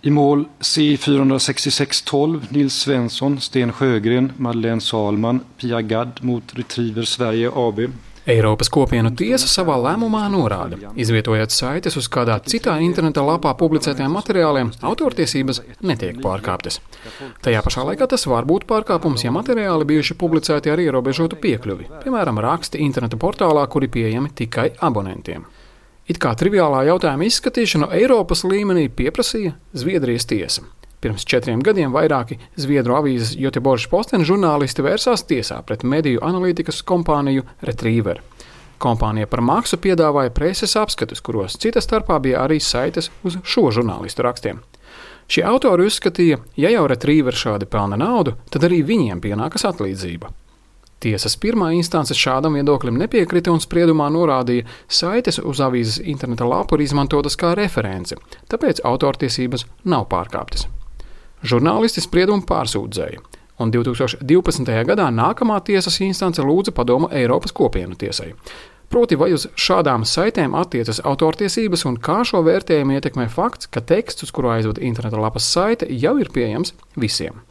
I mål C46612 Nils Svensson, Sten Sjögren, Madeleine Salman, Pia Gadd mot Retriever Sverige AB. Eiropas Kopienu tiesa savā lēmumā norāda, izvietojot saites uz kādā citā interneta lapā publicētajiem materiāliem, autortiesības netiek pārkāptas. Tajā pašā laikā tas var būt pārkāpums, ja materiāli bijuši publicēti ar ierobežotu piekļuvi, piemēram, raksti interneta portālā, kuri pieejami tikai abonentiem. It kā triviālā jautājuma izskatīšanu Eiropas līmenī pieprasīja Zviedrijas tiesa. Pirms 4 gadiem vairāki Zviedru avīzes Göteborgs Posten žurnālisti vērsās tiesā pret mediju analītikas kompāniju Retriever. Kompānija par maksu piedāvāja preses apskatus, kuros cita starpā bija arī saites uz šo žurnālistu rakstiem. Šie autori uzskatīja, ja jau Retriever šādi pelna naudu, tad arī viņiem pienākas atlīdzība. Tiesas pirmā instance šādam viedoklim nepiekrita un spriedumā norādīja, saites uz avīzes interneta lapu ir izmantotas kā reference, tāpēc autortiesības nav pārkāptas. Žurnālisti spriedumu pārsūdzēja, un 2012. gadā nākamā tiesas instance lūdza padomu Eiropas Kopienu tiesai. Proti, vai uz šādām saitēm attiecas autortiesības un kā šo vērtējumu ietekmē fakts, ka teksts, uz kuru aizved interneta lapas saite, jau ir pieejams visiem.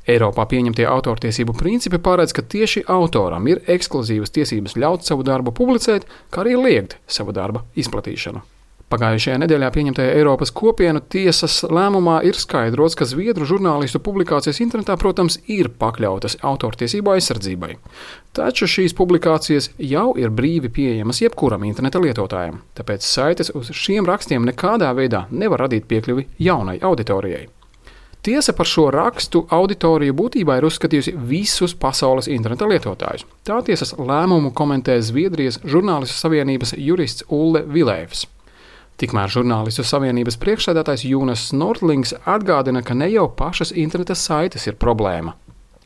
Eiropā pieņemtie autortiesību principi paredz, ka tieši autoram ir ekskluzīvas tiesības ļaut savu darbu publicēt, kā arī liegt savu darba izplatīšanu. Pagājušajā nedēļā pieņemtajā Eiropas Kopienu tiesas lēmumā ir skaidrots, ka zviedru žurnālistu publikācijas internetā, protams, ir pakļautas autortiesību aizsardzībai. Taču šīs publikācijas jau ir brīvi pieejamas jebkuram interneta lietotājam, tāpēc saites uz šiem rakstiem nekādā veidā nevar radīt piekļuvi jaunai auditorijai. Tiesa par šo rakstu auditoriju būtībā ir uzskatījusi visus pasaules interneta lietotājus. Tā tiesas lēmumu komentē Zviedrijas žurnālistu savienības jurists Ulle Vilēvs. Tikmēr žurnālistu savienības priekšsēdētājs Jonas Nordlings atgādina, ka ne jau pašas interneta saites ir problēma.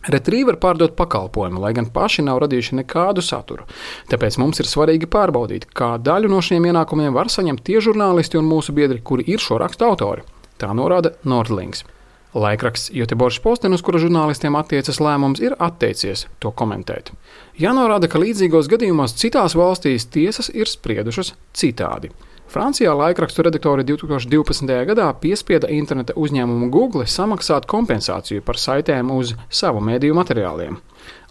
Retriever pārdod pakalpojumu, lai gan paši nav radījuši nekādu saturu. Tāpēc mums ir svarīgi pārbaudīt, kā daļu no šiem ienākumiem var saņemt tie žurnālisti un mūsu biedri, kuri ir šo rakstu autori. Tā norāda Nordlings. Laikraksts Göteborgs Posten, uz kura žurnālistiem attiecas lēmums, ir atteicies to komentēt. Jānorāda, ka līdzīgos gadījumos citās valstīs tiesas ir spriedušas citādi. Francijā laikrakstu redaktori 2012. gadā piespieda interneta uzņēmumu Google samaksāt kompensāciju par saitēm uz savu mēdīju materiāliem.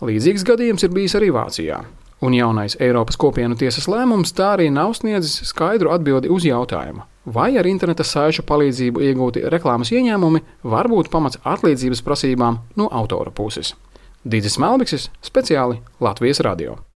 Līdzīgs gadījums ir bijis arī Vācijā. Un jaunais Eiropas Kopienu tiesas lēmums tā arī nav sniedzis skaidru atbildi uz jautājumu, vai ar interneta saišu palīdzību iegūti reklāmas ieņēmumi var būt pamats atlīdzības prasībām no autora puses. Dīdzis Melbiksis, speciāli Latvijas radio.